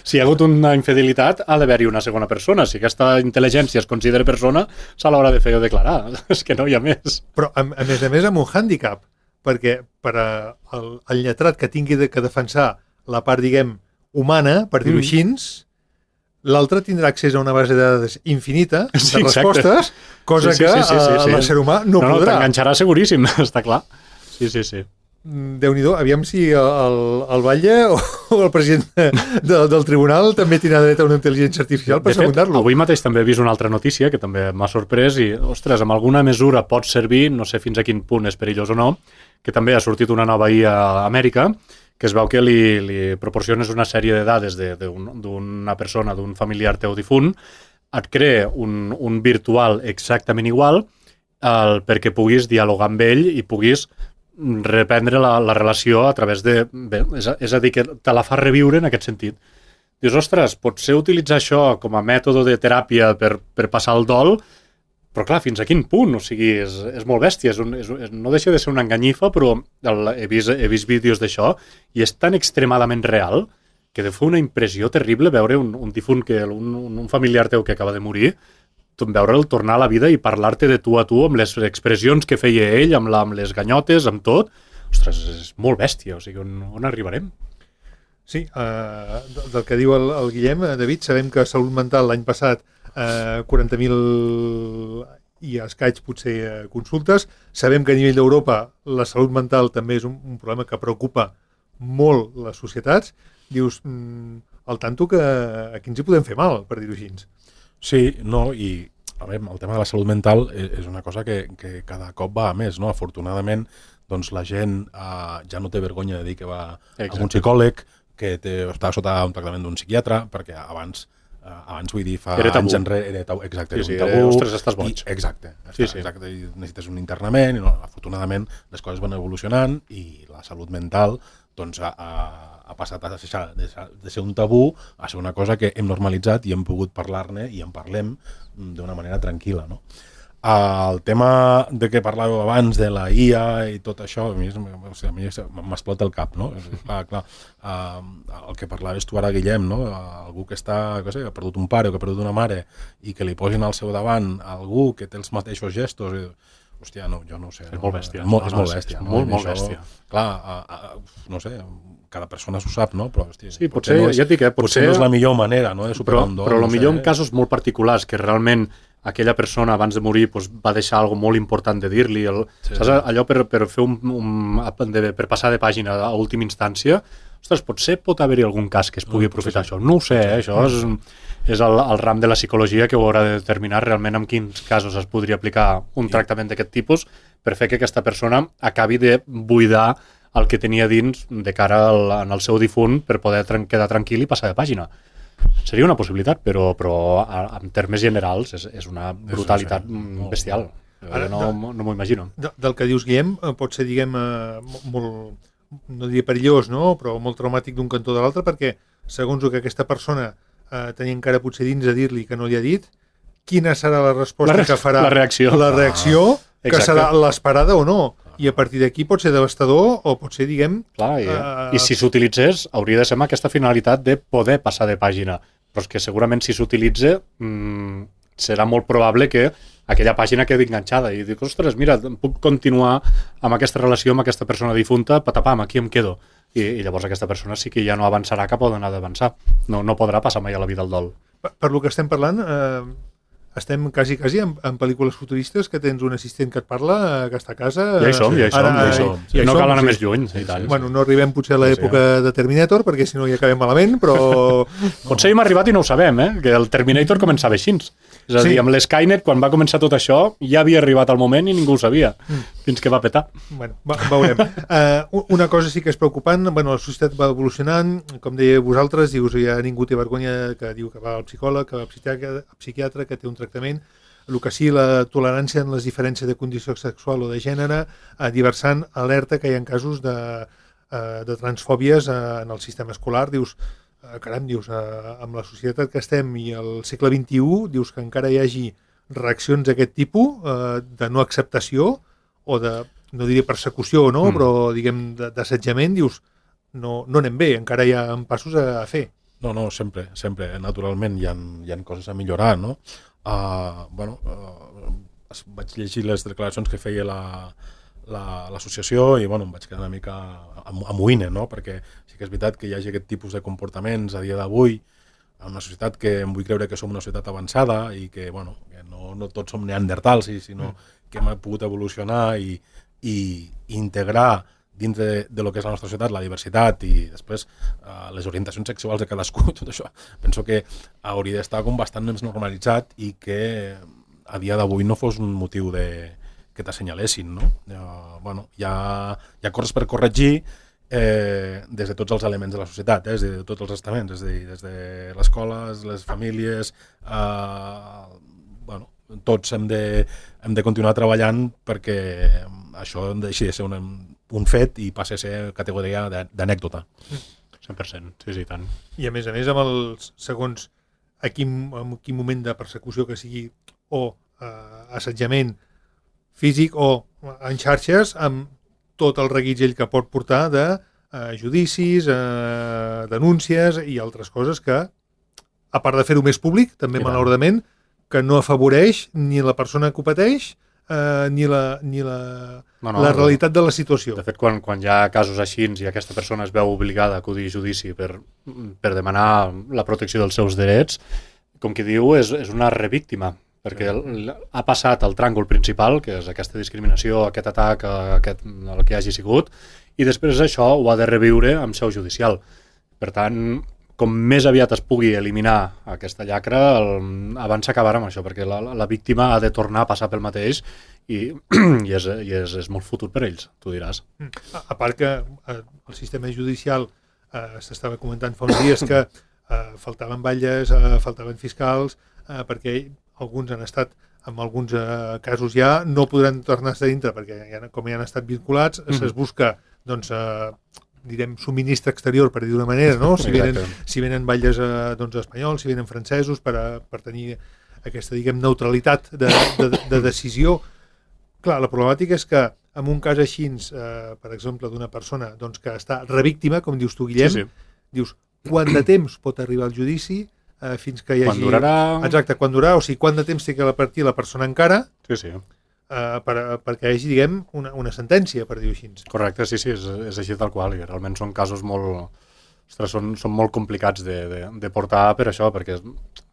Speaker 3: si hi ha hagut una infidelitat, ha d'haver-hi una segona persona. Si aquesta intel·ligència es considera persona, se l'haurà de fer declarar. És que no hi ha més.
Speaker 2: Però, a més, amb un hàndicap, perquè per al lletrat que tingui que defensar la part, diguem, humana, per dir-ho així, l'altre tindrà accés a una base de dades infinita de respostes, cosa que l'ésser humà no podrà.
Speaker 3: T'enganxarà seguríssim, està clar. Sí.
Speaker 2: Déu-n'hi-do, aviam si el Batlle o el president del tribunal també tindrà dret a una intel·ligència artificial per secundar-lo.
Speaker 3: Avui mateix també he vist una altra notícia que també m'ha sorprès i, ostres, amb alguna mesura pot servir, no sé fins a quin punt és perillós o no, que també ha sortit una nova IA a Amèrica, que es veu que li proporciones una sèrie de dades d'una persona, d'un familiar teu difunt, et crea un virtual exactament igual perquè puguis dialogar amb ell i puguis reprendre la relació a través de... Bé, és a dir, que te la fa reviure en aquest sentit. Dius, ostres, potser utilitzar això com a mètode de teràpia per passar el dol, però clar, fins a quin punt? O sigui, és molt bèstia, no deixa de ser una enganyifa, però he vist vídeos d'això i és tan extremadament real que de fer una impressió terrible veure un difunt, un familiar teu que acaba de morir, veure'l tornar a la vida i parlar-te de tu a tu amb les expressions que feia ell, amb les ganyotes, amb tot. Ostres, és molt bèstia, o sigui, on arribarem?
Speaker 2: Sí, del que diu el Guillem, David, sabem que Salut Mental l'any passat 40.000 i escaig potser consultes. Sabem que a nivell d'Europa la salut mental també és un problema que preocupa molt les societats. Dius, al tanto que aquí ens hi podem fer mal, per dir-ho així.
Speaker 4: Sí, no, i a veure, el tema de la salut mental és una cosa que cada cop va a més, no? Afortunadament, doncs la gent ja no té vergonya de dir que va a un psicòleg, que està sota un tractament d'un psiquiatre, perquè abans vull dir, fa anys enrere era tabú. Exacte,
Speaker 3: era un tabú. Ostres, estàs boig.
Speaker 4: Exacte, necessites un internament, i afortunadament les coses van evolucionant i la salut mental doncs ha passat a deixar de ser un tabú a ser una cosa que hem normalitzat i hem pogut parlar-ne i en parlem d'una manera tranquil·la, no? El tema de què parlàveu abans de la IA i tot això, a mi m'explota el cap, no? Clar, el que parlaves tu ara, Guillem, no? Algú que ha perdut un pare o que ha perdut una mare i que li posin al seu davant algú que té els mateixos gestos, hòstia, no, jo no ho sé.
Speaker 3: És molt bèstia.
Speaker 4: És molt bèstia.
Speaker 3: Molt bèstia.
Speaker 4: Clar, no sé, cada persona s'ho sap, no? Però, hòstia,
Speaker 3: sí, potser no
Speaker 4: és la millor manera, no?, de superar un dol.
Speaker 3: Però millor en casos molt particulars, que realment aquella persona abans de morir va deixar alguna molt important de dir-li. Saps? Allò per fer per passar de pàgina a última instància, ostres, potser pot haver-hi algun cas que es pugui aprofitar això. No ho sé, això és el ram de la psicologia que ho haurà de determinar realment en quins casos es podria aplicar un tractament d'aquest tipus per fer que aquesta persona acabi de buidar el que tenia dins de cara en el seu difunt per poder quedar tranquil i passar de pàgina. Seria una possibilitat, però en termes generals és una brutalitat bestial. No m'ho imagino.
Speaker 2: Del que dius, Guillem, pot ser, diguem, molt, no diria perillós, no?, però molt traumàtic d'un cantó de l'altre, perquè segons el que aquesta persona tenir encara potser dins de dir-li que no li ha dit, quina serà la resposta que farà la reacció que serà l'esperada o no. I a partir d'aquí pot ser devastador o pot ser, diguem...
Speaker 3: Clar, i si s'utilitzés, hauria de ser amb aquesta finalitat de poder passar de pàgina. Però és que segurament si s'utilitza serà molt probable que aquella pàgina quedi enganxada i dic, ostres, mira, puc continuar amb aquesta relació amb aquesta persona difunta, patapam, aquí em quedo. I llavors aquesta persona sí que ja no avançarà cap on ha d'avançar. No podrà passar mai a la vida al dol.
Speaker 2: Per lo que estem parlant... estem quasi en pel·lícules futuristes que tens un assistent que et parla, que està a casa...
Speaker 3: Ja hi som. No cal anar més lluny.
Speaker 2: Bueno, no arribem potser a l'època de Terminator, perquè si no hi acabem malament, però...
Speaker 3: Potser hi hem arribat i no ho sabem, que el Terminator començava així. És a dir, amb l'Skynet, quan va començar tot això, ja havia arribat el moment i ningú ho sabia, fins que va petar.
Speaker 2: Bueno, veurem. Una cosa sí que és preocupant, la societat va evolucionant, com dèieu vosaltres, dius, ja ningú té vergonya que diu que va al psicòleg, que va al psiquiatre, que té un tractament. El que sí, la tolerància en les diferències de condició sexual o de gènere, diversant alerta que hi ha casos de transfòbies en el sistema escolar. Dius, caram, amb la societat que estem i el segle XXI, dius que encara hi hagi reaccions d'aquest tipus, de no acceptació o de, no diré persecució, no? Però diguem d'assetjament, dius, no anem bé, encara hi ha passos a fer.
Speaker 4: No, sempre, naturalment hi ha coses a millorar, no? Vaig llegir les declaracions que feia l'associació i em vaig quedar una mica amoïna, no? Perquè sí que és veritat que hi hagi aquest tipus de comportaments a dia d'avui en una societat que em vull creure que som una societat avançada i que, que no tots som neandertals, sinó que hem pogut evolucionar i integrar dintre de lo que és la nostra societat, la diversitat i després les orientacions sexuals de cadascú, tot això. Penso que hauria d'estar com bastant més normalitzat i que a dia d'avui no fos un motiu que t'assenyalessin, no? Hi ha coses per corregir des de tots els elements de la societat, des de tots els estaments, des de l'escola, les famílies, tots hem de continuar treballant perquè això deixi de ser un fet i passi a ser categoria d'anècdota.
Speaker 3: 100%, sí, tant.
Speaker 2: I a més, amb els segons en quin moment de persecució que sigui o assetjament físic o en xarxes, amb tot el reguitzell que pot portar de judicis, denúncies i altres coses que, a part de fer-ho més públic, també malauradament, que no afavoreix ni la persona que ho pateix ni la realitat de la situació.
Speaker 3: De fet, quan hi ha casos així i aquesta persona es veu obligada a acudir a judici per demanar la protecció dels seus drets, com qui diu, és una revíctima, perquè ha passat el tràngol principal, que és aquesta discriminació, aquest atac, el que hagi sigut, i després això ho ha de reviure amb seu judicial. Per tant, com més aviat es pugui eliminar aquesta llacra, abans s'acabarà amb això, perquè la víctima ha de tornar a passar pel mateix i és molt futur per ells, tu diràs.
Speaker 2: A part que el sistema judicial s'estava comentant fa uns dies que faltaven batlles, faltaven fiscals, perquè alguns han estat, en alguns casos ja, no podran tornar a estar dintre, perquè com ja han estat vinculats, es busca, doncs, direm, subministre exterior, per dir d'una manera, no? Si venen batlles espanyols, si venen francesos, per tenir aquesta, diguem, neutralitat de decisió. Clar, la problemàtica és que en un cas així, per exemple, d'una persona que està revíctima, com dius tu, Guillem, dius, quant de temps pot arribar al judici fins que hi hagi...
Speaker 3: Quan durarà...
Speaker 2: Exacte, quan durarà, o sigui, quant de temps té que partir la persona encara...
Speaker 3: Sí.
Speaker 2: perquè hi hagi, diguem, una sentència, per dir-ho així.
Speaker 3: Correcte, sí, és així tal qual, i realment són casos molt... Ostres, són molt complicats de portar per això, perquè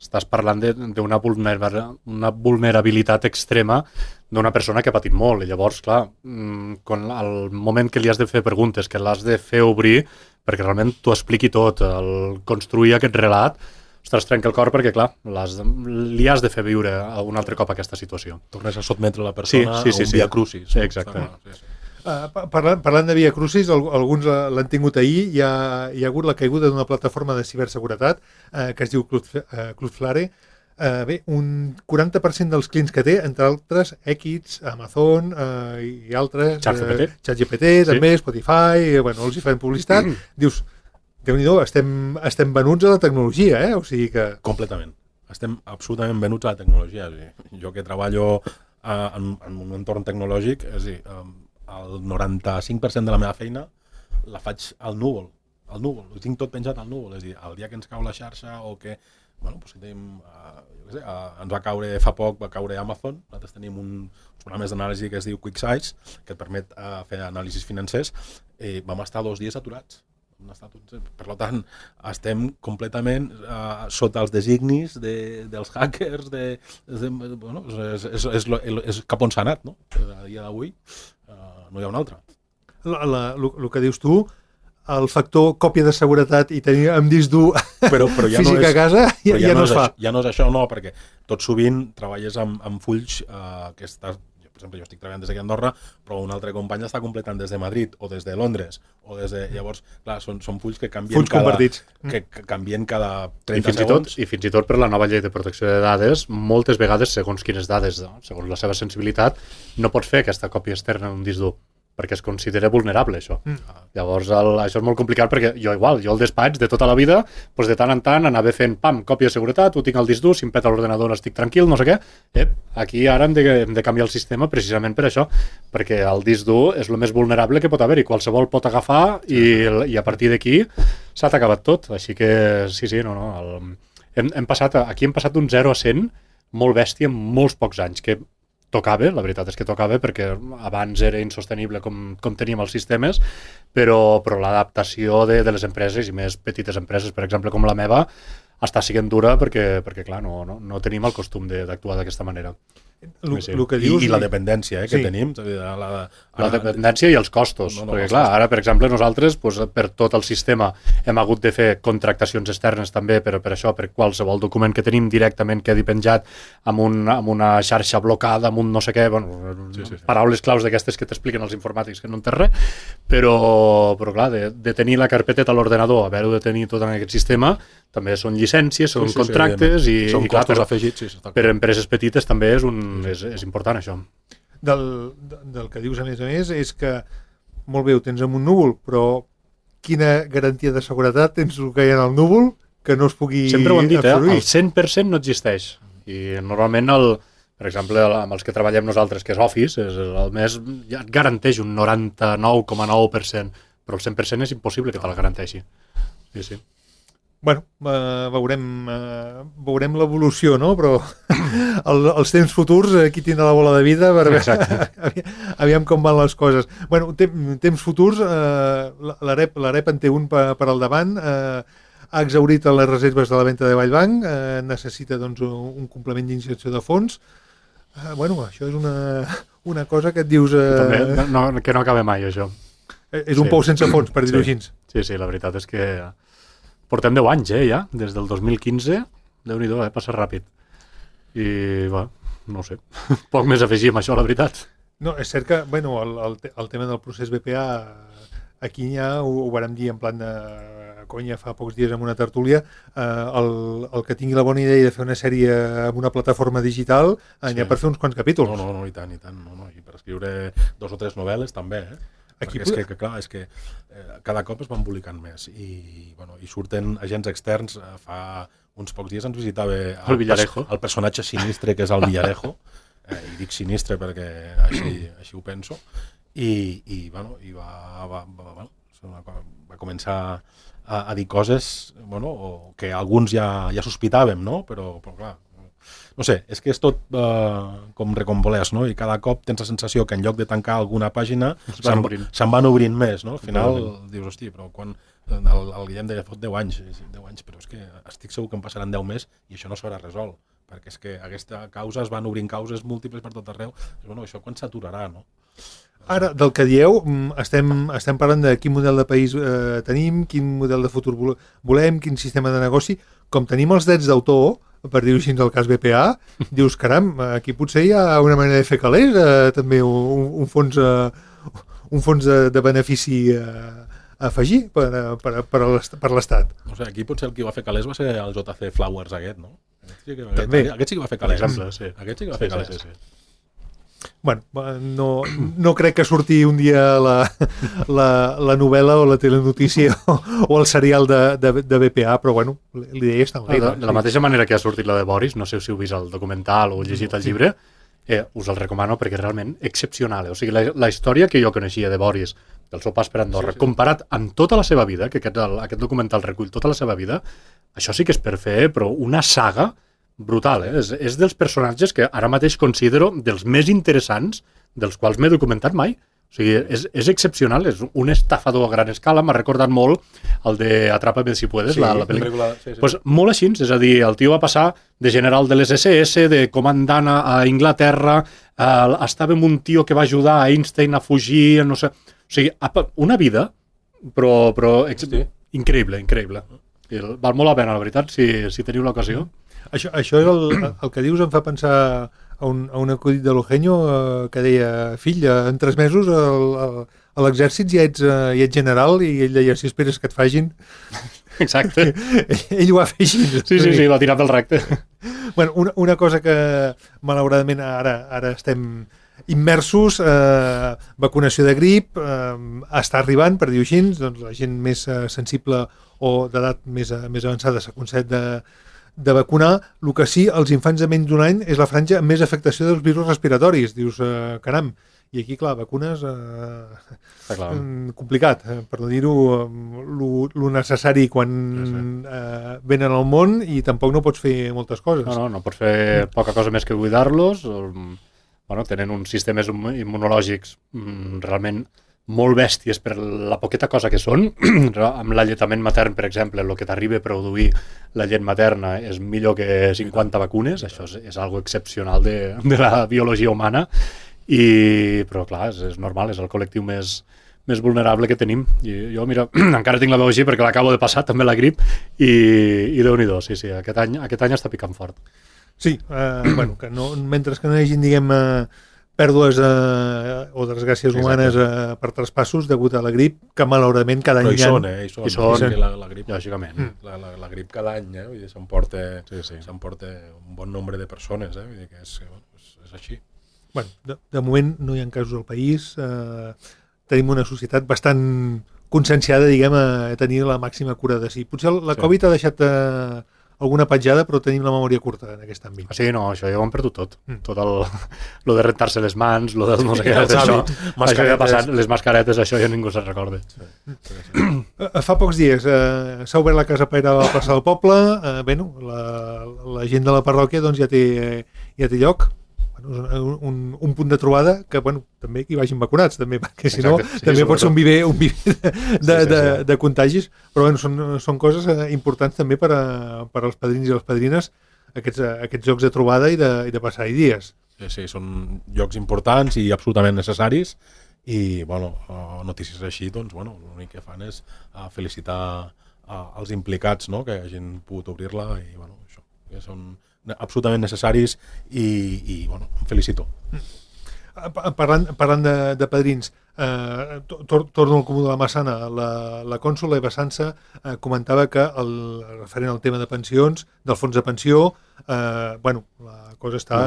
Speaker 3: estàs parlant d'una vulnerabilitat extrema d'una persona que ha patit molt, i llavors, clar, al moment que li has de fer preguntes, que l'has de fer obrir, perquè realment t'ho expliqui tot, el construir aquest relat, ostres, trenca el cor perquè, clar, li has de fer viure un altre cop aquesta situació.
Speaker 4: Tornes a sotmetre la persona a un via crucis.
Speaker 3: Sí, exacte.
Speaker 2: Parlant de via crucis, alguns l'han tingut ahir, hi ha hagut la caiguda d'una plataforma de ciberseguretat que es diu Cloudflare. Bé, un 40% dels clients que té, entre altres, X, Amazon i altres, ChatGPT, també, Spotify, els hi fan publicitat, dius, Déu-n'hi-do, estem venuts a la tecnologia, O sigui que...
Speaker 4: Completament. Estem absolutament venuts a la tecnologia. Jo que treballo en un entorn tecnològic, és a dir, el 95% de la meva feina la faig al núvol. Al núvol, ho tinc tot penjat al núvol. És a dir, el dia que ens cau la xarxa o que... Bueno, doncs tenim, jo què sé, ens va caure fa poc, va caure Amazon. Nosaltres tenim uns programes d'anàlisi que es diu QuickSight, que et permet fer anàlisis financers. Vam estar 2 dies aturats. Per tant, estem completament sota els designis dels hackers, bueno, és cap on s'ha anat, no? A dia d'avui no hi ha un altre.
Speaker 2: El que dius tu, el factor còpia de seguretat i tenir amb disc dur ja físic a casa ja no es fa.
Speaker 4: Ja no és això, no, perquè tot sovint treballes amb fulls que estàs... Per exemple, jo estic treballant des d'aquí a Andorra, però un altre company està completant des de Madrid o des de Londres. Llavors, clar, són fulls que canvien canvien cada 30 segons.
Speaker 3: I fins i tot per la nova llei de protecció de dades, moltes vegades, segons quines dades, segons la seva sensibilitat, no pots fer aquesta còpia externa d'un disc dur, perquè es considera vulnerable, això. Llavors, això és molt complicat, perquè jo al despatx, de tota la vida, doncs de tant en tant anava fent, còpia de seguretat, ho tinc al disc dur, si em peta l'ordenador estic tranquil, no sé què. Aquí ara hem de canviar el sistema precisament per això, perquè el disc dur és el més vulnerable que pot haver-hi, qualsevol pot agafar i a partir d'aquí s'ha acabat tot. Així que, sí, hem passat d'un 0 a 100 molt bèstia en molts pocs anys, que tocava, la veritat és que tocava, perquè abans era insostenible com teníem els sistemes, però l'adaptació de les empreses, i més petites empreses, per exemple, com la meva, està sent dura perquè clar, no tenim el costum d'actuar d'aquesta manera.
Speaker 4: I la dependència que tenim.
Speaker 3: La dependència i els costos, perquè clar, ara, per exemple, nosaltres, per tot el sistema, hem hagut de fer contractacions externes també, per això, per qualsevol document que tenim directament quedi penjat amb una xarxa blocada, amb un no sé què, paraules claus d'aquestes que t'expliquen els informàtics, que no entens res, però clar, de tenir la carpeteta a l'ordenador, haver-ho de tenir tot en aquest sistema, també són llicències, són contractes, i clar, per empreses petites també és important això.
Speaker 2: Del que dius a més, és que molt bé, ho tens en un núvol, però quina garantia de seguretat tens el que hi ha en el núvol que no es pugui absorbir?
Speaker 3: Sempre ho hem dit, el 100% no existeix. I normalment, per exemple, amb els que treballem nosaltres, que és Office, el més ja et garanteix un 99,9%, però el 100% és impossible que te la garanteixi. Sí.
Speaker 2: Bueno, veurem l'evolució, no? Però els temps futurs, qui tindrà la bola de vida, aviam com van les coses. Bueno, temps futurs, l'AREP en té un per al davant, ha exhaurit les reserves de la venda de Vallbanc, necessita doncs, un complement d'injecció de fons. Bueno, això és una cosa que et dius...
Speaker 3: Que no acaba mai, això.
Speaker 2: És un pou sense fons, per dir-ho així.
Speaker 3: Sí, la veritat és que... Portem 10 anys, ja, des del 2015. Déu-n'hi-do, passa ràpid. I, no ho sé, poc més a afegir amb això, la veritat.
Speaker 2: No, és cert que, bueno, el tema del procés BPA, aquí ja ho vàrem dir en plan de conya fa pocs dies en una tertúlia, el que tingui la bona idea de fer una sèrie amb una plataforma digital, n'hi ha per fer uns quants capítols.
Speaker 4: No, i tant. I per escriure 2 o 3 novel·les també, Perquè és que cada cop es va embolicant més i surten agents externs. Fa uns pocs dies ens visitava el personatge sinistre que és el Villarejo, i dic sinistre perquè així ho penso, i va començar a dir coses que alguns ja sospitàvem, no? Però clar, no sé, és que és tot com recombolès, no? I cada cop tens la sensació que en lloc de tancar alguna pàgina se'n van obrint més, no? Al final dius, hosti, però quan el Guillem deia, fot 10 anys, però és que estic segur que en passaran 10 més i això no s'haurà resolt, perquè és que aquesta causa es van obrint causes múltiples per tot arreu. Bueno, això quan s'aturarà, no?
Speaker 2: Ara, del que dieu, estem parlant de quin model de país tenim, quin model de futur volem, quin sistema de negoci. Com tenim els drets d'autor, per dir-ho així del cas BPA, dius, caram, aquí potser hi ha una manera de fer calés, també un fons de benefici a afegir per l'Estat.
Speaker 4: No sé, aquí potser el que va fer calés va ser el JC Flowers aquest, no? Aquest sí que va fer calés.
Speaker 3: Exemple, sí.
Speaker 4: Aquest sí que va fer calés.
Speaker 2: Bueno, no crec que surti un dia la novel·la o la telenotícia o el serial de BPA, però bueno, l'idea està en l'aire.
Speaker 3: De la mateixa manera que ha sortit la de Boris, no sé si heu vist el documental o llegit el llibre, us el recomano perquè és realment excepcional. O sigui, la història que jo coneixia de Boris, del seu pas per Andorra, comparat amb tota la seva vida, que aquest documental recull tota la seva vida, això sí que és per fer, però una saga brutal, és dels personatges que ara mateix considero dels més interessants dels quals m'he documentat mai. O sigui, és excepcional, és un estafador a gran escala, m'ha recordat molt el de Atrápame si puedes, la pel·lícula. Pues molt així, és a dir, el tio va passar de general de les SS, de comandant a Inglaterra, estava amb un tio que va ajudar a Einstein a fugir, no sé... O sigui, una vida, però increïble. Val molt la pena, la veritat, si teniu l'ocasió.
Speaker 2: Això és el que dius, em fa pensar a un acudit de l'Eugenio que deia, fill, en 3 mesos a l'exèrcit ja ets general, i ell deia, si esperes que et fagin.
Speaker 3: Exacte.
Speaker 2: Ell ho va fer així.
Speaker 3: Sí, va tirar pel recte.
Speaker 2: Bueno, una cosa que malauradament ara estem immersos, vacunació de grip, està arribant, per dir-ho així, doncs la gent més sensible o d'edat més avançada s'aconsella de vacunar. El que sí, els infants de menys d'un any és la franja amb més afectació dels virus respiratoris. Dius, caram, i aquí, clar, vacunes complicat, per no dir-ho lo necessari quan venen al món, i tampoc no pots fer moltes coses.
Speaker 3: No pots fer poca cosa més que cuidar-los. Tenen uns sistemes immunològics realment molt bèsties per la poqueta cosa que són. Amb l'alletament matern, per exemple, el que t'arriba a produir la llet materna és millor que 50 vacunes. Això és algo excepcional de la biologia humana, però clar, és normal, és el col·lectiu més vulnerable que tenim. I jo, mira, encara tinc la veu així perquè l'acabo de passar, també la grip, i Déu-n'hi-do, sí, aquest any està picant fort.
Speaker 2: Sí, que mentre que no hi hagi, diguem, pèrdues o desgràcies humanes per traspassos degut a la grip, que malauradament cada any
Speaker 4: hi són, la grip,
Speaker 3: lògicament.
Speaker 4: La grip cada any, s'emporta un bon nombre de persones, vull dir que és així.
Speaker 2: Bueno, de moment no hi ha casos al país, tenim una societat bastant conscienciada, diguem, a tenir la màxima cura de si. Potser la Covid ha deixat alguna petjada, però tenim la memòria curta en aquest àmbit.
Speaker 3: Sí, no, això ja ho hem perdut tot. Tot lo de rentar-se les mans, lo de no sé què, això ja ha passat, les mascaretes, això ja ningú se'n recorda.
Speaker 2: Fa pocs dies s'ha obert la Casa Paire a la plaça del poble, la gent de la parròquia doncs ja té lloc, un punt de trobada que, també que hi vagin vacunats, també, perquè si no, també pot ser un viver de contagis, però són coses importants també per als padrins i les padrines, aquests llocs de trobada i de passar-hi dies.
Speaker 4: Sí, són llocs importants i absolutament necessaris, i, notícies així, doncs, l'únic que fan és felicitar els implicats, que hagin pogut obrir-la, i, això, que són absolutament necessaris, i em felicito.
Speaker 2: Parlant de padrins, torno al Comú de la Massana. La cònsula Eva Sansa comentava que referent al tema de pensions, del fons de pensió, la cosa està...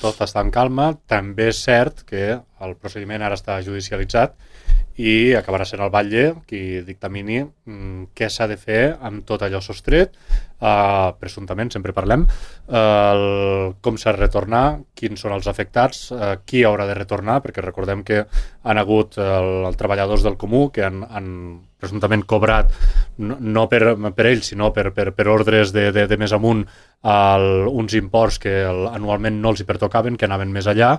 Speaker 3: Tot està en calma. També és cert que el procediment ara està judicialitzat i acabarà sent el batlle qui dictamini què s'ha de fer amb tot allò sostret, presumptament, sempre parlem, com s'ha de retornar, quins són els afectats, qui haurà de retornar, perquè recordem que han hagut els treballadors del Comú que han presumptament cobrat, no per ells, sinó per ordres de més amunt, uns imports que anualment no els hi pertocaven, que anaven més allà.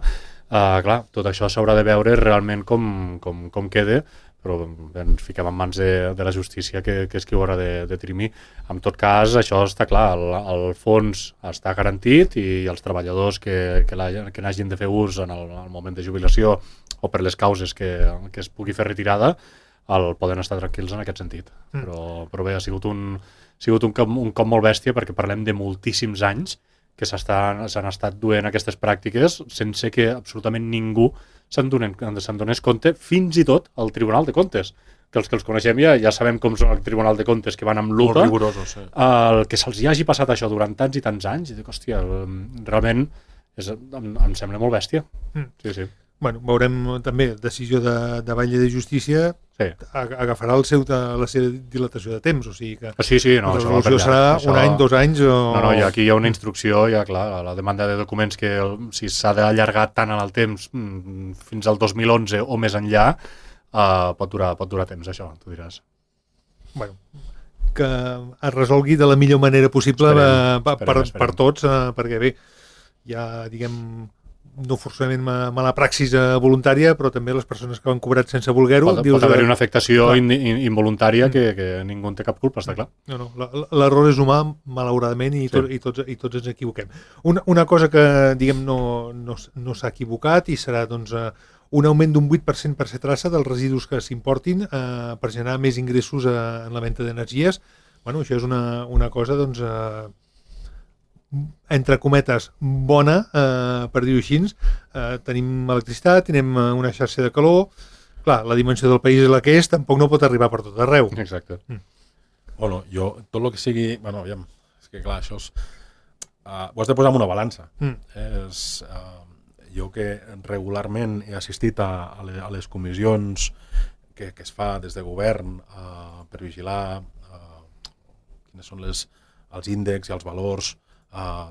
Speaker 3: Clar, tot això s'haurà de veure realment com queda, però ens fiquem en mans de la justícia, que és qui ho haurà de dirimir. En tot cas, això està clar, el fons està garantit, i els treballadors que n'hagin de fer ús en el moment de jubilació o per les causes que es pugui fer retirada, poden estar tranquils en aquest sentit. Però bé, ha sigut un cop molt bèstia, perquè parlem de moltíssims anys que s'han estat duent aquestes pràctiques sense que absolutament ningú se'n donés compte, fins i tot al Tribunal de Comptes, que els coneixem ja sabem com són el Tribunal de Comptes, que van amb lupa, el que se'ls hi hagi passat això durant tants i tants anys, i dic, hòstia, realment em sembla molt bèstia. Sí.
Speaker 2: Bueno, veurem també decisió de Batlle de Justícia, agafarà la seva dilatació de temps, o sigui que
Speaker 3: no,
Speaker 2: la resolució serà un any, 2 anys o...
Speaker 3: No, i aquí hi ha una instrucció, clar, la demanda de documents que si s'ha d'allargar tant en el temps fins al 2011 o més enllà, pot durar temps, això, tu diràs.
Speaker 2: Bueno, que es resolgui de la millor manera possible per tots, perquè bé, ja, diguem, no forçament mala praxis voluntària, però també les persones que han cobrat sense voler-ho...
Speaker 3: Pot haver-hi una afectació involuntària que ningú en té cap culpa, està clar.
Speaker 2: No, l'error és humà, malauradament, i tots ens equivoquem. Una cosa que, diguem, no s'ha equivocat i serà, doncs, un augment d'un 8% per ser traça dels residus que s'importin per generar més ingressos en la venda d'energies. Bueno, això és una cosa, doncs... entre cometes, bona, per dir-ho així. Tenim electricitat, tenim una xarxa de calor. Clar, la dimensió del país és la que és, tampoc no pot arribar per tot arreu.
Speaker 3: Exacte.
Speaker 4: Bueno, jo, tot el que sigui... Bueno, aviam, és que clar, això és... ho has de posar en una balança. Jo que regularment he assistit a les comissions que es fa des de govern per vigilar quines són els índexs i els valors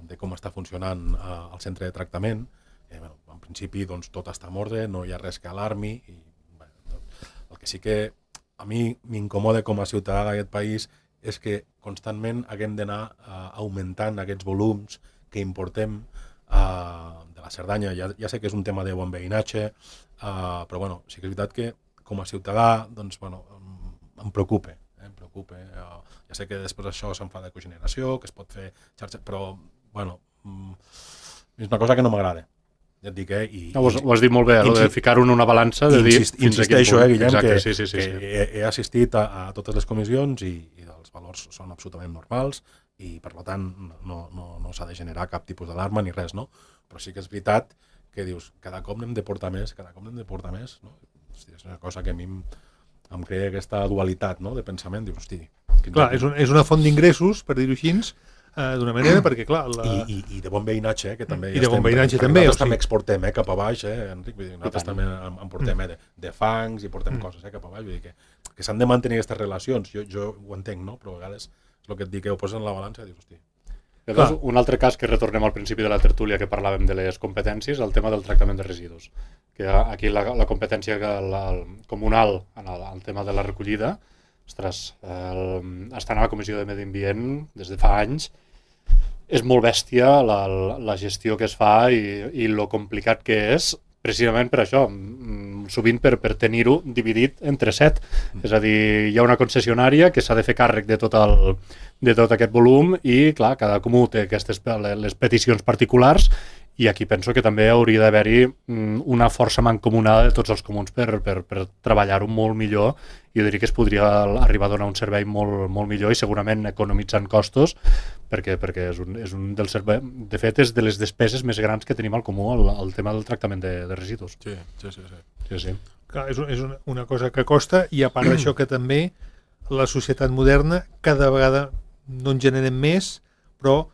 Speaker 4: de com està funcionant el centre de tractament. En principi doncs, tot està en ordre, no hi ha res que alarmi. El que sí que a mi m'incomoda com a ciutadà d'aquest país és que constantment haguem d'anar augmentant aquests volums que importem de la Cerdanya. Ja sé que és un tema de bon veïnatge, però bueno, sí que és veritat que com a ciutadà doncs, bueno, em preocupa. Ja sé que després això se'n fa de cogeneració, que es pot fer xarxa, però bueno, és una cosa que no m'agrada. Ja et dic,
Speaker 3: ho has dit molt bé, de ficar-ho en una balança, de dir...
Speaker 4: Insisteixo, Guillem,
Speaker 3: exacte,
Speaker 4: que he assistit a totes les comissions i els valors són absolutament normals i per tant no s'ha de generar cap tipus d'alarma ni res, no? Però sí que és veritat que dius, cada cop n'hem de portar més, no? Hosti, és una cosa que a mi em crea aquesta dualitat, no?, de pensament, dius, hosti...
Speaker 2: Clar, és una font d'ingressos, per dir-ho així, d'una manera, perquè clar...
Speaker 4: I de bon veïnatge, que també...
Speaker 2: I de bon veïnatge també.
Speaker 4: Nosaltres també exportem cap a baix, Enric, vull dir, nosaltres també en portem de fangs i portem coses cap a baix, vull dir que s'han de mantenir aquestes relacions, jo ho entenc, no?, però a vegades és el que et dic, que ho poses en la balança i dius, hosti...
Speaker 3: Llavors, un altre cas que retornem al principi de la tertúlia que parlàvem de les competències, el tema del tractament de residus. Que aquí la competència comunal en el tema de la recollida, ostres, estant a la Comissió de Medi Ambient des de fa anys, és molt bèstia la gestió que es fa i lo complicat que és, precisament per això, sovint per tenir-ho dividit entre 7. És a dir, hi ha una concessionària que s'ha de fer càrrec de tot aquest volum i, clar, cada comú té les peticions particulars i aquí penso que també hauria d'haver-hi una força mancomunada de tots els comuns per treballar-ho molt millor. Jo diria que es podria arribar a donar un servei molt, molt millor i segurament economitzant costos perquè és un dels serveis, de fet és de les despeses més grans que tenim al comú el tema del tractament de residus.
Speaker 4: Sí.
Speaker 2: Clar, és una cosa que costa i a part d'això que també la societat moderna cada vegada no en generem més, però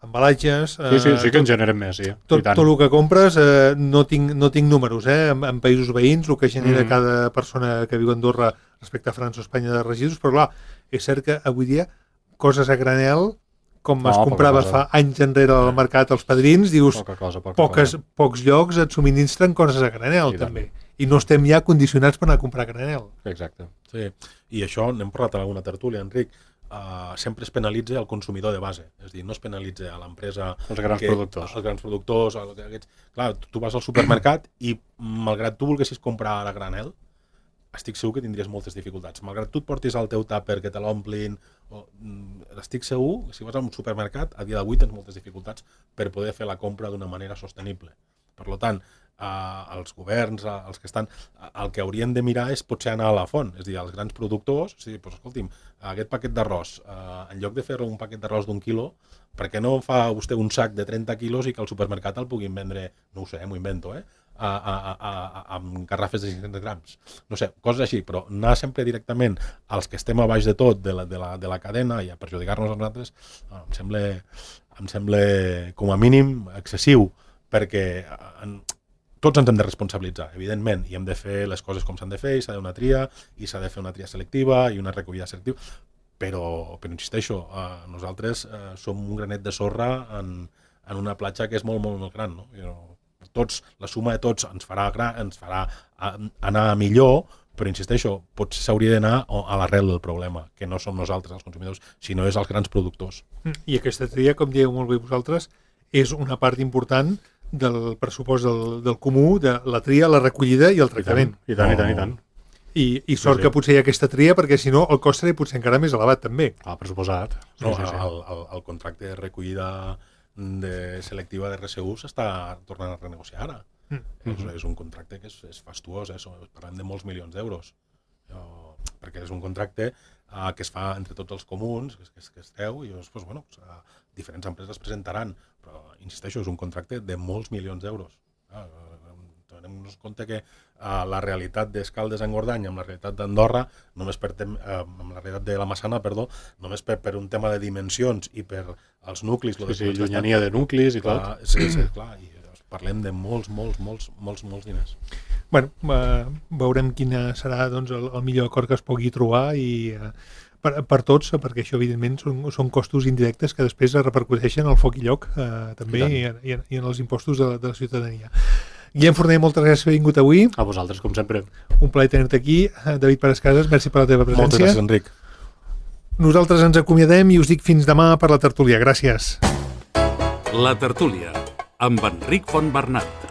Speaker 2: embalatges...
Speaker 3: Sí que en generem més, sí.
Speaker 2: Tot el que compres, no tinc números, en països veïns, el que genera cada persona que viu a Andorra respecte a França o Espanya de residus, però clar, és cert que avui dia coses a granel, com es comprava fa anys enrere al mercat als padrins, dius, pocs llocs et subministren coses a granel, també. I no estem ja condicionats per anar a comprar granel.
Speaker 3: Exacte.
Speaker 4: Sí, i això n'hem parlat en alguna tertúlia, Enric, sempre es penalitza el consumidor de base, és a dir, no es penalitza a l'empresa...
Speaker 3: Els grans
Speaker 4: productors. Clar, tu vas al supermercat i malgrat tu volguessis comprar a granel, estic segur que tindries moltes dificultats. Malgrat tu et portis al teu tàper que te l'omplin, estic segur que si vas a un supermercat, a dia d'avui tens moltes dificultats per poder fer la compra d'una manera sostenible. Per tant, els governs, els que estan, el que haurien de mirar és potser anar a la font, és a dir, els grans productors, és a dir, doncs, escolti'm, aquest paquet d'arròs, en lloc de fer un paquet d'arròs d'1 quilo, per què no fa vostè un sac de 30 quilos i que al supermercat el puguin vendre, no ho sé, m'ho invento, amb garrafes de 500 grams. No sé, coses així, però anar sempre directament als que estem a baix de tot, de la cadena, i a perjudicar-nos a nosaltres, em sembla com a mínim excessiu, perquè tots ens hem de responsabilitzar, evidentment, i hem de fer les coses com s'han de fer, i s'ha de una tria, i s'ha de fer una tria selectiva i una recollida selectiva, però insisteixo, nosaltres som un granet de sorra en una platja que és molt, molt, molt gran, no? La suma de tots ens farà anar millor, però insisteixo, potser s'hauria d'anar a l'arrel del problema, que no som nosaltres els consumidors, sinó és els grans productors.
Speaker 2: I aquesta tria, com dieu molt bé vosaltres, és una part important del pressupost del comú, de la tria, la recollida i el tractament.
Speaker 3: I tant.
Speaker 2: I sort que potser hi ha aquesta tria, perquè si no el cost serà potser encara més elevat també.
Speaker 3: Per suposat.
Speaker 4: El contracte de recollida selectiva de RSU s'està tornant a renegociar ara. És un contracte que és fastuós, parlem de molts milions d'euros, perquè és un contracte que es fa entre tots els comuns, que es treu, i diferents empreses presentaran, però insisteixo, és un contracte de molts milions d'euros. Tenim-nos compte que la realitat d'Escaldes-Engordany amb la realitat d'Andorra, amb la realitat de la Massana, només per un tema de dimensions i per als nuclis...
Speaker 3: llunyania de nuclis i tot.
Speaker 4: Sí, clar, i parlem de molts diners.
Speaker 2: Bueno, veurem quin serà el millor acord que es pugui trobar i per tots, perquè això evidentment són costos indirectes que després es repercuteixen al foc i lloc també i en els impostos de la ciutadania. Guillem Forner, moltes gràcies per haver vingut avui.
Speaker 3: A vosaltres, com sempre.
Speaker 2: Un plaer tenir-te aquí. David Parascases, merci per la teva presència.
Speaker 4: Moltes gràcies, Enric.
Speaker 2: Nosaltres ens acomiadem i us dic fins demà per la tertúlia. Gràcies.
Speaker 1: La tertúlia, amb Enric Fontbernat.